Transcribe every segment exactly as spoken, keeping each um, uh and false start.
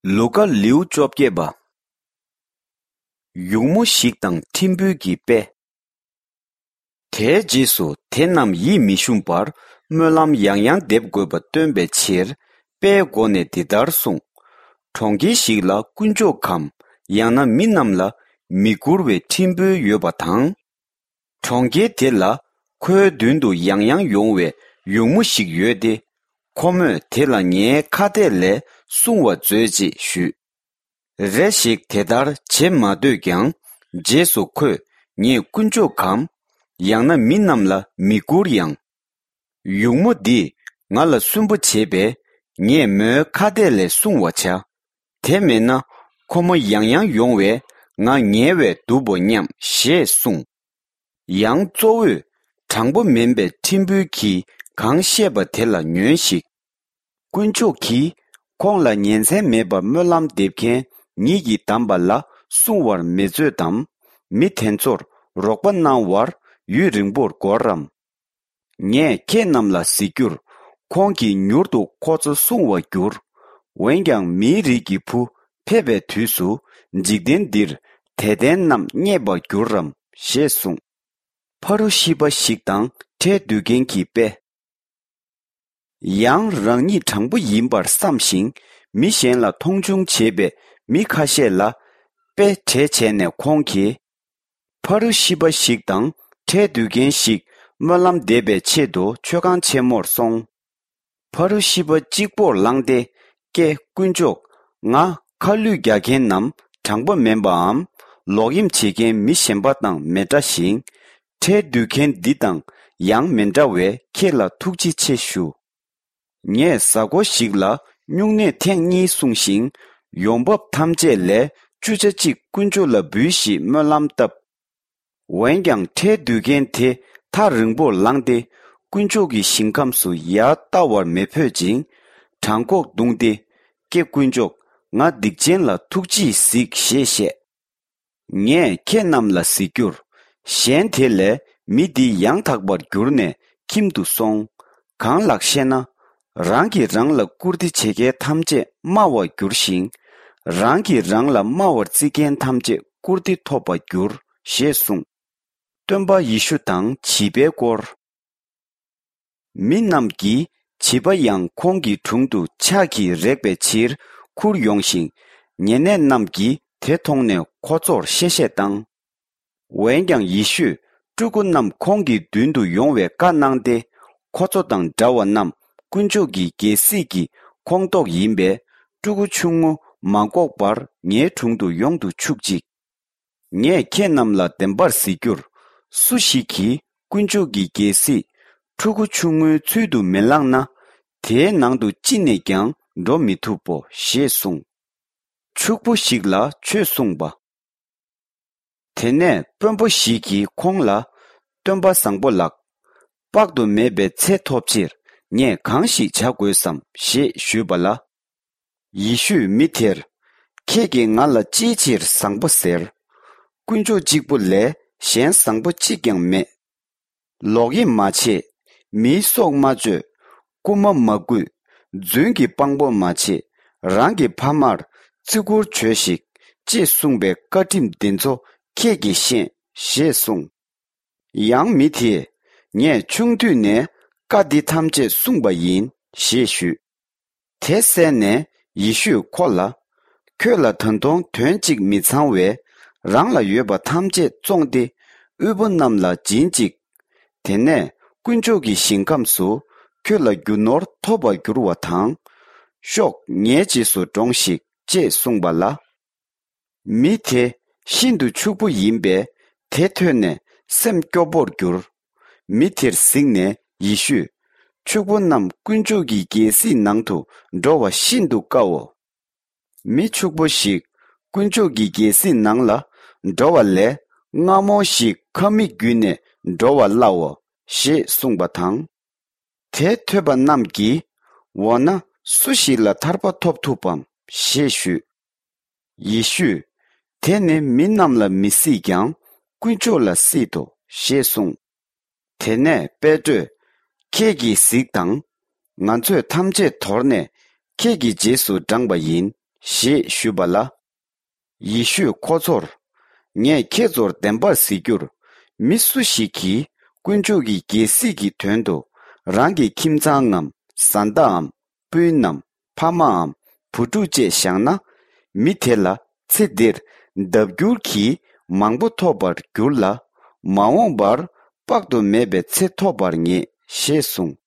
ལུ་ཀ། ལེའུ་བཅོ་བརྒྱད་པ། ཡུགས་མོ་ཞིག་དང་ཁྲིམས་དཔོན་གྱི་དཔེ། དེའི་རྗེས་སུ་དེ་རྣམས་ཡིད་མི་ཞུམ་པར་སྨོན་ལམ་ཡང་ཡང་འདེབས་དགོས་པ་སྟོན་པའི་ཕྱིར། དཔེའི་སྒོ་ནས་འདི་ལྟར་གསུངས། གྲོང་ཁྱེར་ཞིག་ལ་དཀོན་མཆོག་གམ། ཡང་ན་མི་རྣམས་ལ་མི་བཀུར་བའི་ཁྲིམས་དཔོན་ཡོད་པ་དང་། གྲོང་ཁྱེར་དེ་ལ་ཁོའི་མདུན་དུ་ཡང་ཡང་ཡོང་བའི་ཡུགས་མོ་ཞིག་ཡོད་དེ། ཁོ་མོས་དེ་ལ་ངའི་ཁ་གཏད་ལས་སྲུང་བ་མཛོད་ཅེས་ཞུས། རེ་ཞིག་དེ་ལྟར་བྱེད་མ་འདོད་ཀྱང་། རྗེས་སུ་ཁོས་ངས་དཀོན་མཆོག་གམ། ཡང་ན་མི་རྣམས་ལ་མི་བཀུར་ཡང་། ཡུགས་མོ་འདིས་ང་ལ་སུན་པོ་བྱེད་པས། ངས་མོའི་ཁ་གཏད་ལས་སྲུང་བར་བྱ། དེ་མེད་ན་ཁོ་མོ་ཡང་ཡང་ཡོང་བས་ང་ངལ་བས་དུབ་བོ་སྙམ་ཞེས་གསུངས། ཡང་གཙོ་བོས་དྲང་པོ་མིན་པའི་ཁྲིམས་དཔོན་གྱིས་གང་བཤད་པ་དེ་ལ་ཉོན་ཞིག། དཀོན་མཆོག་གིས་ཁོང་ལ་ཉིན་མཚན་མེད་པར་སྨོན་ལམ་འདེབས་མཁན་ཉིད་ཀྱིས་བདམས་པ་ལ་སྲུང་བར་མི་མཛོད་དམ། མི་དེ་ཚོར་རོགས་པ་གནང་བར་ཡུན་རིང་པོར་འགོར་རམ། ངས་ཁྱེད་རྣམས་ལ་གཟིགས་རྒྱུར། ཁོང་གིས་མྱུར་དུ་ཁོ་ཚོ་སྲུང་བར་འགྱུར། འོན་ཀྱང་མིའི་རིགས་ཀྱི་བུ་ཕེབས་པའི་དུས་སུ། འཇིག་རྟེན་འདིར་དད་ལྡན་རྣམས་རྙེད་པར་འགྱུར་རམ་ཞེས་གསུངས། ཕ་རུ་ཤི་པ་ཞིག་དང་ཁྲལ་བསྡུ་མཁན་གྱི་དཔེ། ཡང་རང་ཉིད་དྲང་པོ་ཡིན་པར་བསམ་ཞིང་། མི་གཞན་ལ་མཐོང་ཆུང་བྱེད་པའི་མི་ཁ་ཤས་ལ་དཔེ་གྲས་བྱས་ནས་ཁོང་གིས། ཕ་རུ་ཤི་པ་ཞིག་དང་ཁྲལ་བསྡུ་མཁན་ཞིག་སྨོན་ལམ་འདེབས་པའི་ཆེད་དུ་མཆོད་ཁང་ཆེན་མོར་སོང་། ཕ་རུ་ཤི་པ་གཅིག་པོར་ལངས་ཏེ། ཀྱེ་དཀོན་མཆོག། ང་ཁ་བསླུས་རྒྱག་མཁན་ནམ། དྲང་པོ་མིན་པའམ། ལོག་གཡེམ་བྱེད་མཁན་མི་གཞན་པ་དང་མི་འདྲ་ཞིང་། ཁྲལ་བསྡུ་མཁན་འདི་དང་ཡང་མི་འདྲ་བས་ཁྱེད་ལ་ཐུགས་རྗེ་ཆེ་ཞུ། ངས་གཟའ་འཁོར་ཞིག་ལ་སྨྱུང་གནས་ཐེངས་གཉིས་བསྲུངས་ཤིང་། ཡོང་འབབ་ཐམས་ཅད་ལས་བཅུ་ཆ་གཅིག་དཀོན་མཆོག་ལ་འབུལ་ཞེས་སྨོན་ལམ་བཏབ། འོན་ཀྱང་ཁྲལ་བསྡུ་མཁན་དེ་ཐག་རིང་པོར་ལངས་ཏེ། དཀོན་མཆོག་གི་ཞིང་ཁམས་སུ་ཡར་ལྟ་བར་མི་ཕོད་ཅིང་། བྲང་ཁོག་བརྡུངས་ཏེ། ཀྱེ་དཀོན་མཆོག། ང་སྡིག་ཅན་ལ་ཐུགས་རྗེས་གཟིགས་ཞེས་བཤད། ངས་ཁྱེད་རྣམས་ལ་གཟིགས་རྒྱུར། གཞན་དེ་ལས་མི་འདི་ཡང་དག་པར་གྱུར་ནས་ཁྱིམ་དུ་སོང་། གང་ལགས་ཤེ་ན། རང་གིས་རང་ལ་བཀུར་སྟི་བྱེད་མཁན་ཐམས་ཅད་དམའ་བར་འགྱུར་ཞིང་། རང་གིས་རང་ལ་དམའ་བར་བརྩི་མཁན་ཐམས་ཅད་བཀུར་སྟི་ཐོབ་པར་འགྱུར་ཞེས་གསུངས། སྟོན་པ་ཡེ་ཤུ་དང་བྱིས་པའི་སྐོར། མི་རྣམས་ཀྱིས་བྱིས་པ་ཡང་ཁོང་གི་དྲུང་དུ་ཕྱག་གིས་རེག་པའི་ཕྱིར་ཁུར་ཡོང་ཞིང་། ཉེ་གནས་རྣམས་ཀྱིས་དེ་མཐོང་ནས་ཁོ་ཚོར་གཤེ་གཤེ་བཏང་། འོན་ཀྱང་ཡེ་ཤུས་ཕྲུ་གུ་རྣམས་ཁོང་གི་མདུན་དུ་ཡོང་བའི་བཀའ་གནང་སྟེ། ཁོ་ཚོ་དང་འདྲ་བ་རྣམས་དཀོན་མཆོག་གི་རྒྱལ་སྲིད་ཀྱི་ཁོངས་གཏོགས་ཡིན་པས། ཕྲུ་གུ་ཆུང་ངུ་མ་འགོག་པར་ངའི་དྲུང་དུ་ཡོང་དུ་ཆུག་ཅིག། ངས་ཁྱེད་རྣམས་ལ་བདེན་པར་ཟེར་རྒྱུར། སུ་ཞིག་གིས་དཀོན་མཆོག་གི་རྒྱལ་སྲིད་ཕྲུ་གུ་ཆུང་ངུའི་ཚུལ་དུ་མི་བླངས་ན། དེའི་ནང་དུ་ཅི་ནས་ཀྱང་འགྲོ་མི་ཐུབ་བོ་ཞེས་གསུངས། ཕྱུག་པོ་ཞིག་ལ་ཆོས་གསུངས་པ། དེ་ནས་དཔོན་པོ་ཞིག་གིས་ཁོང་ལ། སྟོན་པ་བཟང་པོ་ལགས། དཔག་ཏུ་མེད་པའི་ཚེ་ཐོབ་ཕྱིར་ངས་གང་ཞིག་བྱ་དགོས་སམ་ཞེས་ཞུས་པ་ལ། ཡེ་ཤུས་མི་དེར། ཁྱེད་ཀྱིས་ང་ལ་ཅིའི་ཕྱིར་བཟང་པོ་ཟེར། དཀོན་མཆོག་གཅིག་པུ་ལས་གཞན་བཟང་པོ་གཅིག་ཀྱང་མེད། ལོག་གཡེམ་མ་བྱེད། མིའི་སྲོག་མ་གཅོད། རྐུན་མ་མ་རྐུ། རྫུན་གྱི་དཔང་པོ་མ་བྱེད། རང་གི་ཕ་མར་བརྩི་བཀུར་བྱོས་ཤིག །ཅེས་གསུངས་པའི་བཀའ་ཁྲིམས་འདི་ཚོ་ཁྱེད་ཀྱིས་ཤེས་ཞེས་གསུངས། ཡང་མི་དེས། ངས་ཆུང་དུས་ནས་བཀའ་འདི་ཐམས་ཅད་བསྲུངས་པ་ཡིན་ཞེས་ཞུས། དེ་གསན་ནས་ཡེ་ཤུས་ཁོ་ལ། ཁྱོད་ལ་ད་དུང་དོན་གཅིག་མི་ཚང་བས། རང་ལ་ཡོད་པ་ཐམས་ཅད་བཙོངས་ཏེ་དབུལ་པོ་རྣམས་ལ་སྦྱིན་ཅིག །དེ་ནས་དཀོན་མཆོག་གི་ཞིང་ཁམས་སུ་ཁྱོད་ལ་རྒྱུ་ནོར་ཐོབ་པར་འགྱུར་བ་དང་། ཤོག །ངའི་རྗེས་སུ་འབྲོངས་ཤིག །ཅེས་གསུངས་པ་ལ། མི་དེ་ཤིན་ཏུ་ཕྱུག་པོ་ཡིན་པས་དེ་ཐོས་ནས་སེམས་སྐྱོ་པོར་གྱུར། མི་དེར་གཟིགས་ནས་ཡེ་ཤུས། ཕྱུག་པོ་རྣམས་དཀོན་མཆོག་གི་རྒྱལ་སྲིད་ནང་དུ་འགྲོ་བ་ཤིན་ཏུ་དཀའོ། མི་ཕྱུག་པོ་ཞིག་དཀོན་མཆོག་གི་རྒྱལ་སྲིད་ནང་ལ་འགྲོ་བ་ལས། རྔ་མོང་ཞིག་ཁབ་མིག་བརྒྱུད་ནས་འགྲོ་བ་སླའོ། ཞེས་གསུངས་པ་དང་། དེ་ཐོས་པ་རྣམས་ཀྱིས། འོ་ན་སུ་ཞིག་ལ་ཐར་པ་ཐོབ་ཐུབ་བམ་ཞེས་ཞུས། ཡེ་ཤུས། དེ་ནི་མི་རྣམས་ལ་མི་སྲིད་ཀྱང་དཀོན་མཆོག་ལ་སྲིད་དོ་ཞེས་གསུངས། དེ་ནས་པེ་ཏྲོས། ཁྱེད་ཀྱིས་གཟིགས་དང་། ང་ཚོས་ཐམས་ཅད་དོར་ནས་ཁྱེད་ཀྱི་རྗེས་སུ་འབྲངས་པ་ཡིན་ ཞེས་ཞུས་པ་ལ། ཡེ་ཤུས་ཁོ་ཚོར། ངས་ཁྱེད་ཚོར་བདེན་པར་ཟེར་རྒྱུར། མི་སུ་ཞིག་གིས་དཀོན་མཆོག་གི་རྒྱལ་སྲིད་ཀྱི་དོན་དུ་རང་གི་ཁྱིམ་ཚང་ངམ་བཟའ་ཟླའམ་སྤུན་ནམ་ཕ་མའམ་བུ་ཕྲུག་བཅས་བཞག་ན། མི་དེ་ལ་ཚེ་འདིར་ལྡབ་འགྱུར་གྱིས་མང་པོ་ཐོབ་པར་འགྱུར་ལ། མ་འོངས་པར་དཔག་ཏུ་མེད་པའི་ཚེ་ཐོབ་པར་ངེས་ཞེས་གསུངས།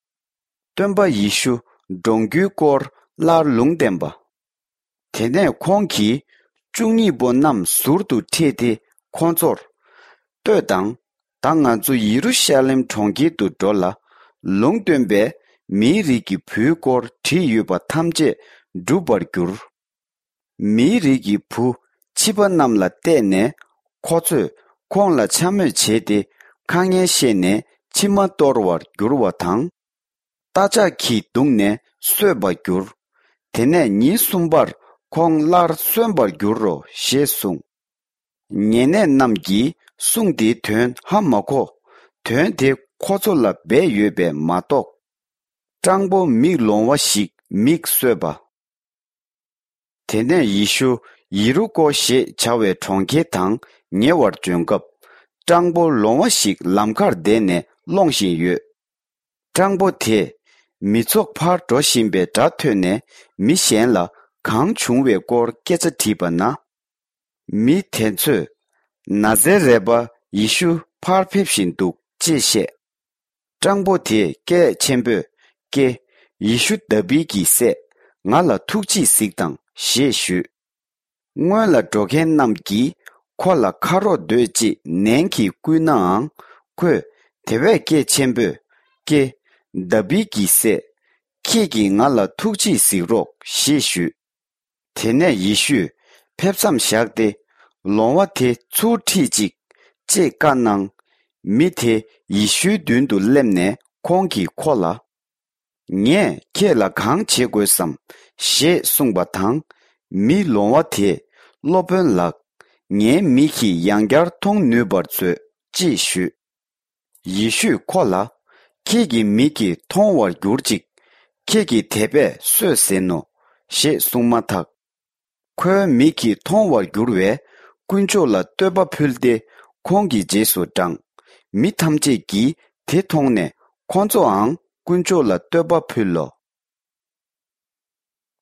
སྟོན་པ་ཡེ་ཤུ་འགྲོངས་རྒྱུའི་སྐོར་སླར་ལུང་བསྟན་པ། དེ་ནས་ཁོང་གིས་བཅུ་གཉིས་པོ་རྣམས་ཟུར་དུ་ཁྲིད་དེ་ཁོ་ཚོར། ལྟོས་དང་། ད་ང་ཚོ་ཡེ་རུ་ཤ་ལེམ་གྲོང་ཁྱེར་དུ་འགྲོ་ལ། ལུང་སྟོན་པས་མིའི་རིགས་ཀྱི་བུའི་སྐོར་བྲིས་ཡོད་པ་ཐམས་ཅད་འགྲུབ་པར་འགྱུར། མིའི་རིགས་ཀྱི་བུ་ཕྱི་པ་རྣམས་ལ་བལྟས་ནས་ཁོ་ཚོས་ཁོང་ལ་འཕྱ་སྨོད་བྱས་ཏེ་ཁ་ངན་བཤད་ནས་མཆིལ་མ་གཏོར་བར་འགྱུར་བ་དང་། རྟ་ལྕག་གིས་བརྡུངས་ནས་གསོད་པར་འགྱུར། དེ་ནས་ཉིན་གསུམ་པར་ཁོང་སླར་གསོན་པར་འགྱུར་རོ་ཞེས་གསུངས། ཉེ་གནས་རྣམས་ཀྱིས་གསུང་དེའི་དོན་ཧ་མ་གོ། དོན་དེ་ཁོ་ཚོ་ལ་སྦས་ཡོད་པས་མ་གཏོགས། སྤྲང་པོ་མིག་ལོང་བ་ཞིག་མིས་གསོད་པ། དེ་ནས་ཡེ་ཤུ་ཡེ་རུ་ཀོ་ཞེས་བྱ་བའི་གྲོང་ཁྱེར་དང་ཉེ་བར་འབྱོན་སྐབས། སྤྲང་པོ་ལོང་བ་ཞིག་ལམ་ཁར་བསྡད་ནས་སློང་བཞིན་ཡོད། སྤྲང་པོ་དེས་མི་ཚོགས་ཕར་འགྲོ་བཞིན་པའི་སྒྲ་ཐོས་ནས་མི་གཞན་ལ་གང་བྱུང་བའི་སྐོར་སྐད་ཆ་དྲིས་པ་ན། མི་དེ་ཚོས། ན་ཛེ་རད་པ་ཡེ་ཤུ་ཕར་ཕེབས་བཞིན་འདུག་ཅེས་བཤད། སྤྲང་པོ་དེས་སྐད་ཆེན་པོས། ཀྱེ། ཡེ་ཤུ་དཱ་བིད་ཀྱི་སྲས། ང་ལ་ཐུགས་རྗེས་གཟིགས་དང་ཞེས་ཞུས། སྔོན་ལ་འགྲོ་མཁན་རྣམས་ཀྱིས་ཁོ་ལ་ཁ་རོག་སྡོད་ཅེས་ནན་གྱིས་བསྐུལ་ནའང་། ཁོས་དེ་བས་སྐད་ཆེན་པོས། ཀྱེ། དཱ་བིད་ཀྱི་སྲས། ཁྱེད་ཀྱིས་ང་ལ་ཐུགས་རྗེས་གཟིགས་རོགས་ཞེས་ཞུས། དེ་ནས་ཡེ་ཤུས་ཕེབས་མཚམས་བཞག་སྟེ། ལོང་བ་དེ་ཚུར་ཁྲིད་ཅིག་ཅེས་བཀའ་གནང་། མི་དེ་ཡེ་ཤུའི་མདུན་དུ་སླེབས་ནས་ཁོང་གིས་ཁོ་ལ། ངས་ཁྱེད་ལ་གང་བྱེད་དགོས་སམ་ཞེས་གསུངས་པ་དང་། མི་ལོང་བ་དེས། སློབ་དཔོན་ལགས། ངའི་མིག་གིས་ཡང་བསྐྱར་མཐོང་ནུས་པར་མཛོད་ཅེས་ཞུས། ཡེ་ཤུས་ཁོ་ལ། ཁྱེད་ཀྱི་མིག་གིས་མཐོང་བར་གྱུར་ཅིག་ཁྱེད་ཀྱིས་དད་པས་གསོས་ཟིན་ནོ། ཞེས་གསུངས་མ་ཐག་ཁོའི་མིག་གིས་མཐོང་བར་གྱུར་བས། དཀོན་མཆོག་ལ་བསྟོད་པ་ཕུལ་ཏེ། ཁོང་གི་རྗེས་སུ་འབྲངས། མི་ཐམས་ཅད་ཀྱིས་དེ་མཐོང་ནས། ཁོ་ཚོའང་དཀོན་མཆོག་ལ་བསྟོད་པ་ཕུལ་ལོ།